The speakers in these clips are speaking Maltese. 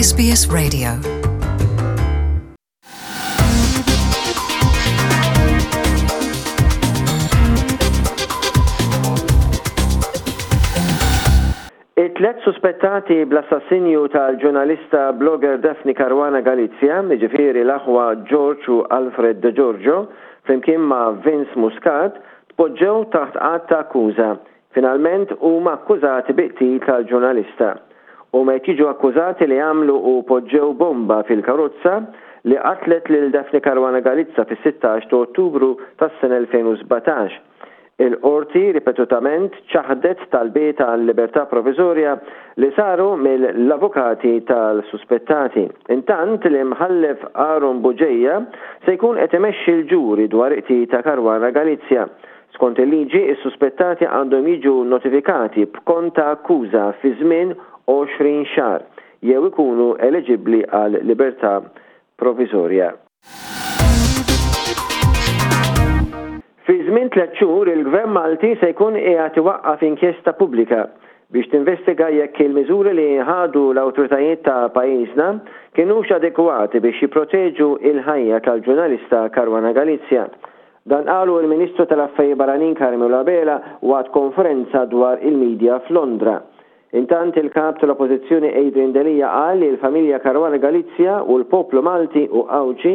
SBS Radio. It-tlet suspettati bl-assassinju tal-ġurnalista blogger Daphne Caruana Galizia, jiġifieri l-aħwa George u Alfred De Giorgio, flimkien ma' Vince Muscat, tpoġġew taħt att ta' akkuża. Finalment huma akkużati bi qtil tal-ġurnalista. Huma qed jiġu akkużati li għamlu u poġġew bomba fil-karozza li qatlet lil Daphne Caruana Galizza fis-16 ta' Ottubru tas-sena 2017. Il-Qorti ripetutament ċaħdet talbiet għal libertà proviżorja li saru mill-avukati tal-suspettati. Intant, l-Imħallef Aaron Bugeja se jkun qed imexxi l-ġuri dwar il-qtil ta' Caruana Galizia. Skont il-liġi, is-suspettati għandhom jiġu notifikati b'kont ta' akkuża fi żmien 20 xahar jew ikunu eliġibbli għal libertà proviżorja. Fi żmien tlett xhur il-Gvern Malti se jkun qiegħed iwaqqaf inkjesta pubblika biex tinvestiga jekk il-miżuri li ħadu l-awtoritajiet ta' pajjiżna kinux adekwati biex jipproteġu l-ħajja tal-ġurnalista Caruana Galizia. Dan qalu l-Ministru tal-Affarijiet Barranin Carmelo Abela waqt konferenza dwar il-media f'Londra. Intant il-Kap tal-Oppożizzjoni Adrian Delia qal li l-familja Caruana Galizia u l-poplu Malti u Għawdxi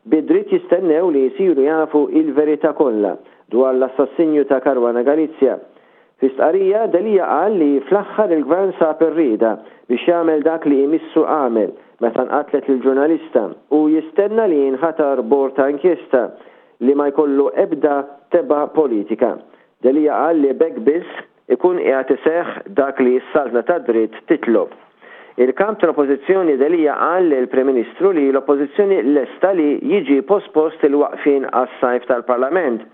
bi dritt jistennew li jsiru jafu il-verità kollha dwar l-assassinju ta' Caruana Galizia. Fi stqarrija, Delia qal li fl-aħħar il-Gvern sab ir-rieda biex jagħmel dak li imissu għamel meta nqatlet l-ġurnalista u jistenna li jinħatar bord ta' inkjesta li ma jkollu ebda tebgħa politika. Delia qal li b'hekk biss ikun qiegħed iseħħ dak li s-saltna tad-dritt titlob. Il-Kap tal-Oppożizzjoni Delia qal lill-Prim Ministru li l-Oppożizzjoni lesta li jiġi pospost il-waqfien għas-sajf tal-Parlament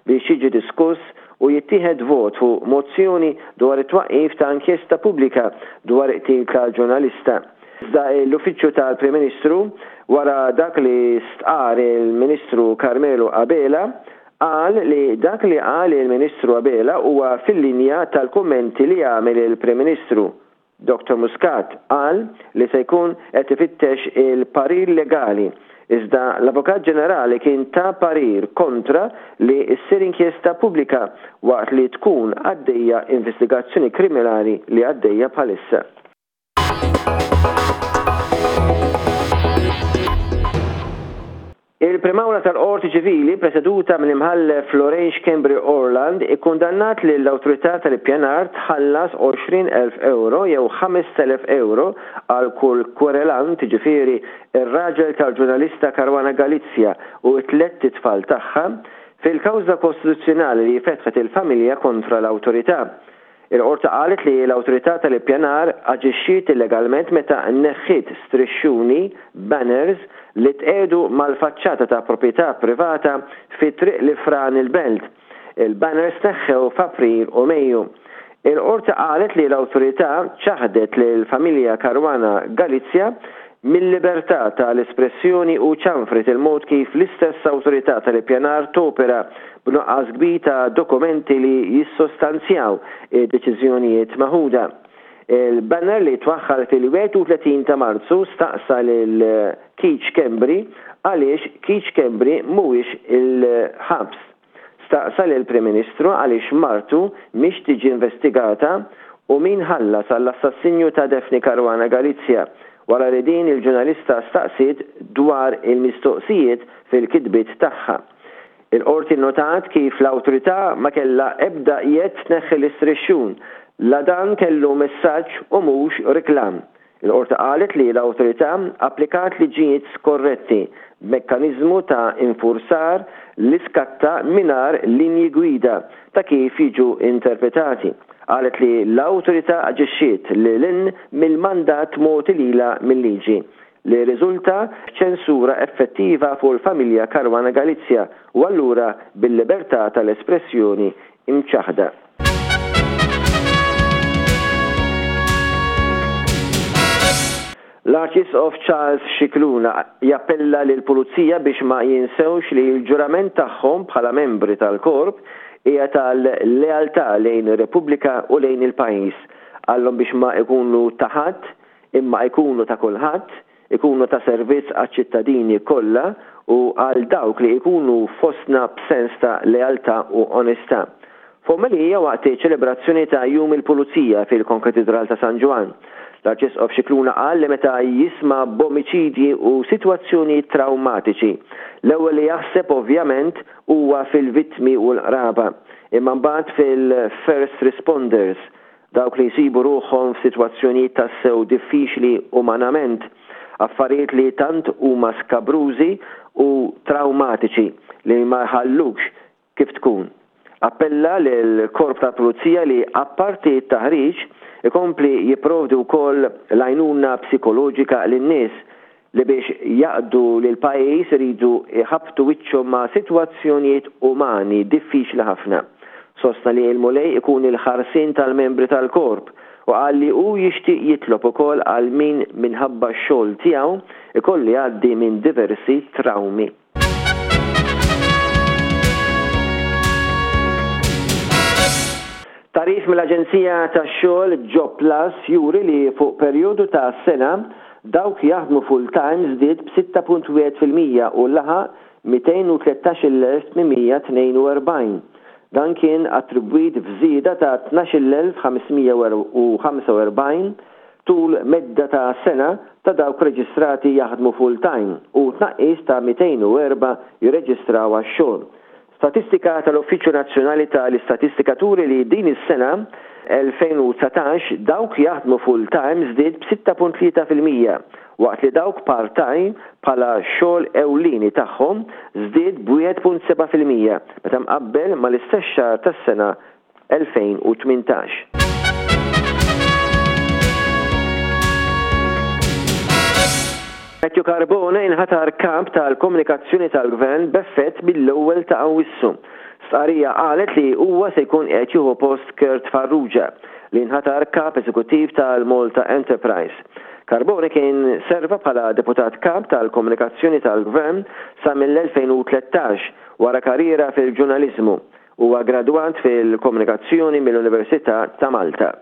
biex jiġi diskuss u jittieħed vot fuq mozzjoni dwar it-twaqqif ta' inkjesta pubblika dwar il-qtil tal-ġurnalista. Iżda l-Uffiċċju tal-Prim Ministru, wara dak li stqarr il-Ministru Carmelo Abela, Qal li dak li qal il-Ministru Abela huwa fil-linja tal-kummenti li għamel il-Prim Ministru. Dottor Muscat qal li se jkun qed ifittex il-parir legali, iżda l-Avukat Ġenerali kien ta parir kontra li ssir inkjesta pubblika waqt li tkun għaddejja investigazzjoni kriminali li għaddejja bħalissa. Il-Prim Awla tal-Qorti Ċivili, preseduta mill-Imħallef Lorraine Schembri Orland, ikkundannat lill-Awtorità tal-Ippjanar tħallas 20,000 ewro jew 5,000 ewro għal kull kwerelant, jiġifieri r-raġel tal-ġurnalista Caruana Galizia u t-tlett itfal tagħha, fil-kawża kostituzzjonali li fetħet il-familja kontra l-Awtorità. Il-Qorti qalet li l-Awtorità tal-Ippjanar aġixxiet illegalment meta neħħiet strixxuni, banners, li tqiegħdu mal-faċċata ta' proprjetà privata fi Triq l-Ifran il-Belt. Il-banners tneħħew f'April u Mejju. Il-Qorti qalet li l-Awtorità ċaħdet lill-familja Caruana Galizia mil-libertà ta' l-espressjoni u ċanfret il-mod kif l-istess Awtorità tal-Ippjanar topera b'nuqqas kbir ta' dokumenti li jissostanzjaw id-deċiżjonijiet meħuda. Il-banner li twaħħal fil-31 ta' Marzu staqsa lil Keith Schembri għaliex Keith Schembri mhuwiex il-ħabs. Staqsa lill-Prim Ministru għaliex martu mhix tiġi investigata u min ħallas għall-assassinju ta' Daphne Caruana Galizia wara li din il-ġurnalista staqsiet dwar il-mistoqsijiet fil-kitbiet tagħha. Il-Qorti nnotat kif l-Awtorità ma kellha ebda jedd tneħħi l-istrixxun la dan kellu messaġġ u mhux riklam. Il-Qorti qalet li l-Awtorità applikat liġijiet skorretti b'mekkaniżmu ta' infurzar li skatta mingħajr linji gwida ta' kif jiġu interpretati. Qalet li l-Awtorità aġixxiet lil hinn mill-mandat mogħti lilha mil-liġi, li rriżulta f'ċensura effettiva fuq il-familja Caruana Galizia u allura bil-libertà tal-espressjoni imċaħħda. L-Arċisqof Charles Scicluna jappella lill-Pulizija biex ma jinsewx li l-ġurament tagħhom bħala membri tal-Korp hija tal-lealtà lejn ir-Repubblika u lejn il-pajjiż. Qallhom biex ma ikunu ta' ħadd. imma ikunu ta' kulħadd, ikunu ta' servizz għaċ-ċittadini kollha u għal dawk li ikunu fostna b'sens ta' lealtà u onestà. F'omelija waqt iċ-ċelebrazzjoni ta' Jum il-Pulizija fil-Konkatidral ta' San Ġwann, l-Arċisqof Scicluna qal li meta jisma' b'omiċidji u sitwazzjonijiet trawmatiċi, l-ewwel li jaħseb ovvjament huwa fil-vittmi u l-qraba, imma mbagħad fil-first responders, dawk li jsibu ruħhom f'sitwazzjonijiet tassew diffiċli umanament, affarijiet li tant huma skabrużi u trawmatiċi li ma jħallukx kif tkun. Appella lill-Korp tal-Pulizija li apparti t-taħriġ ikompli jipprovdi wkoll l-għajnuna psikoloġika lin-nies li biex jaqdu lill-pajjiż iridu jħabbtu wiċċhom ma' sitwazzjonijiet umani diffiċli ħafna. Sostna li l-Mulej ikun il-ħarsien tal-membri tal-Korp u qal li hu jixtieq jitlob ukoll għal min minħabba x-xogħol tiegħu jkollu jgħaddi minn diversi trawmi. Tagħrif mill-aġenzija tax-xogħol Jobplus juri li fuq perjodu ta' sena, dawk jaħdmu full-time żdied b'6.1% u laħaq 213,842. Dan kien attribwit f'żieda ta' 12,545 tul medda ta' sena ta' dawk reġistrati jaħdmu full-time u tnaqqis ta' 204 jirreġistraw għax-xogħol. Statistika tal-Uffiċċju Nazzjonali ta' l-Istatistika turi li din is-sena, 2019, dawk jaħdmu full-time żdied b'6.3%, waqt li dawk part-time bħala xogħol ewlieni tagħhom żdied b'1.7% meta mqabbel mal-istess xahar tas-sena 2018. Matthew Carbone inħatar Kap tal-Komunikazzjoni tal-Gvern b'effett mill-ewwel ta' Awwissu. Stqarrija qalet li huwa se jkun qed jieħu post Kurt Farrugia, li nħatar Kap Eżekuttiv tal-Malta Enterprise. Carbone kien serva bħala Deputat Kap tal-Komunikazzjoni tal-Gvern sa mill-2013 wara karriera fil-ġurnaliżmu. Huwa gradwat fil-Komunikazzjoni mill-Università ta' Malta.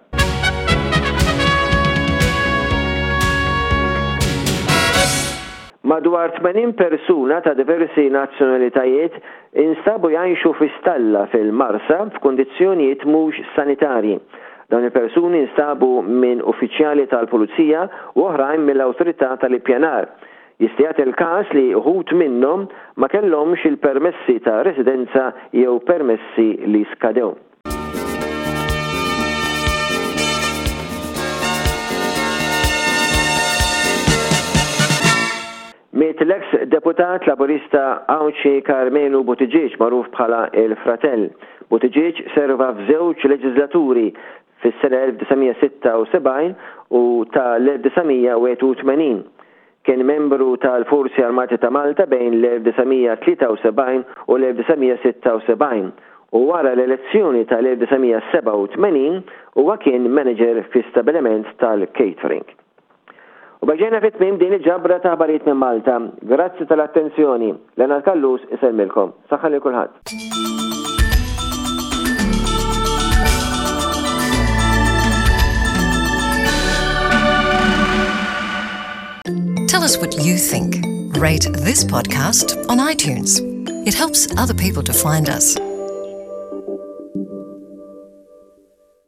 Madwar 80 persuna ta' diversi nazzjonalitajiet instabu jgħixu fi stalla fil-Marsa f'kundizzjonijiet mhux sanitarji. Dawn il-persuni nstabu minn uffiċjali tal-Pulizija u oħrajn mill-Awtorità tal-Ippjanar. Jista' jagħti l-każ li uħud minnhom ma kellhomx il-permessi ta' residenza jew permessi li skadew. Miet l-eks deputat Laburista Għawdxi Karmenu Buttigieg magħruf bħala il-Fratell. Buttigieg serva f'żewġ leġislaturi fis-sena 1976 u ta' l-1981. Kien membru tal-Forzi Armati ta' Malta bejn l-1973 u l-1976 u wara l-elezzjoni tal-1987 huwa kien manager fi stabiliment tal-catering. U b'hekk ġejna fi tmiem din il-ġabra ta' aħbarijiet minn Malta. Grazzi tal-attenzjoni. Leonard Callus isellmilkom. Saħħa lil kulħadd. Tell us what you think. Rate this podcast on iTunes. It helps other people to find us.